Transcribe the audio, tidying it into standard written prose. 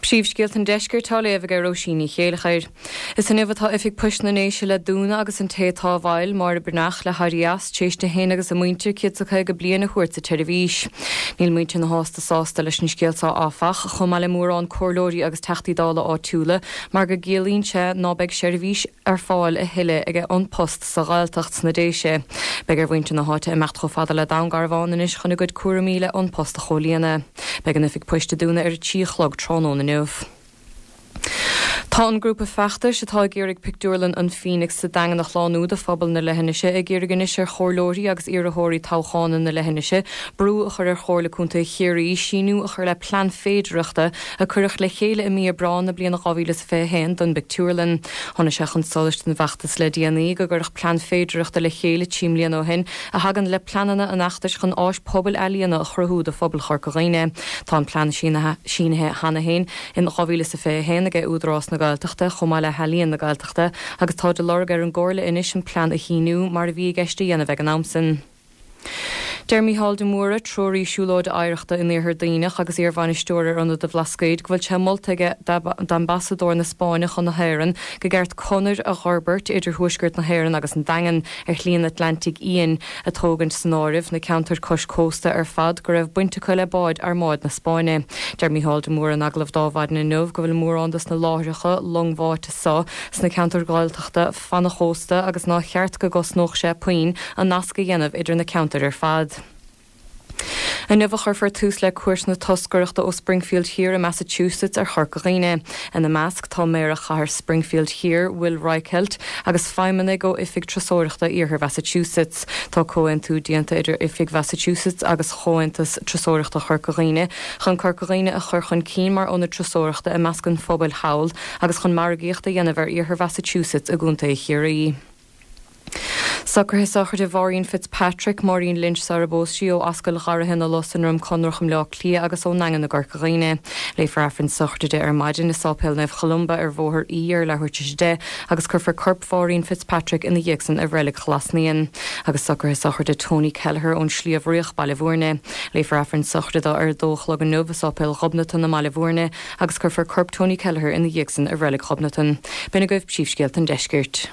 Príomhscéalta an Deiscirt á léamh aige Róisín Ní Chéilleachair. Is inniu atá Oifig Poist na nDéise le dúnadh agus an té atá i bhfeighil, Máire Breathnach, le héirí as, tar éis di féin agus a muintir 150 bliain a thabhairt sa tseirbhís. Níl muintir na háite sásta leis an scéal seo áfach, chomh maith le mórán comhairleoirí agus Teachtaí Dála áitiúla, mar go gciallaíonn sé ná beidh seirbhís ar fáil a thuilleadh ag An Post sa Ghaeltacht sna Déise. Beidh ar mhuintir na háite imeacht chomh fada le Dún Garbhán anois chun a gcuid cúraimí le An Post a chomhlíonadh. Beidh an oifig poist ag dúnadh ar a 3 a chlog tráthnóna inniu. Tá an grúpa feachtais atá ag iarraidh pictiúrlann an Phoenix sa Daingean a shlánú do phobal na leithinise ag iarraidh anois ar chomhairleoirí agus iarrthóirí toghchána na leithinise brú a chur ar Chomhairle Contae Chiarraí síniú a chur le plean féidearthachta a cuireadh le chéile i mí Aibreáin na bliana 2021 don bpictiúrlann. Tháinig sé chun solais don bhfeachtas le déanaí go gcuireadh plean féidearthachta le chéile 3 mbliana ó shin a thagann le pleananna an fheachtais chun áis pobail ealaíona a chruthú do phobal Chorca Dhuibhne. Tá an plean sínithe cheana féin in 2021 aige Údarás na Gaeltachta chomh maith le hEalaíon na Gaeltachta agus tá de lorg ar an gComhairle anois an plean a shíniú mar a bhí i gceist a dhéanamh ag an am san. Deir Mícheál de Mórdha, treoraí siúlóide oidhreachta in Iarthar Duibhneach agus iar-bhainisteoir ar Ionad an Bhlascaoid, go bhfuil sé molta aige d'Ambasadóir na Spáinne chun na hÉireann go gceart conair a dh'fhorbairt idir thuaisceart na hÉireann agus an Daingean ar Shlí an Atlantaigh Fhiáin, ag tógaint san áireamh na ceantair cois cósta ar fad go raibh baint acu le báid Armáid na Spáinne. Deir Mícheál de Mórdha in agallamh d'Adhmhaidin inniu go bhfuil mórán dos na láithreacha longbháite so sna ceantair Ghaeltachta fana chósta agus nár cheart go gcosnódh sé puinn an nasc a dhéanamh idir na ceantair ar fad. Inniu a chuirfear tús le cuairt na toscaireachta ó Springfield Thiar i Massachusetts ar Chorca Dhuibhne. Ina measc tá Méara Chathair Springfield Thiar, Will Reichelt, agus feidhmeannaigh ó Oifig Turasóireachta Iarthar Mhassachusetts. Tá comhaontú déanta idir Oifig Mhassachusetts agus Chomhaontas Turasóireachta Chorca Dhuibhne chun Corca Dhuibhne a chur chun cinn mar ionad turasóireachta i measc an phobail thall agus chun margaíocht a dhéanamh ar Iarthar Mhassachusetts i gContae Chiarraí. Socruithe sochraide Mháirín Fitzpatrick, Máirín Lynch sar a bpós sí, ó Ascaill Gharraithe na Lus i nDroim Conrach i mBleá Cliath agus ón nDaingean i gCorca Dhuibhne. Léifear Aifreann sochraide di ar maidin i Sáipéal Naomh Cholumba ar Bhóthar E ar leathuair tar éis 10 agus cuirfear corp Mháirín Fitzpatrick ina dhiaidh san i Reilig Ghlas Naíon. Agus socruithe sochraide Tony Kelleher ón Sliabh Riach, Baile Bhúirne. Léifear Aifreann sochraide dó ar a dó a chlog inniu i Sáipéal Ghobnatan i mBaile Bhúirne agus cuirfear corp Tony Kelleher ina dhiaidh san i Reilig Ghobnatan. B'in agaibh príomhscéalta an deiscirt.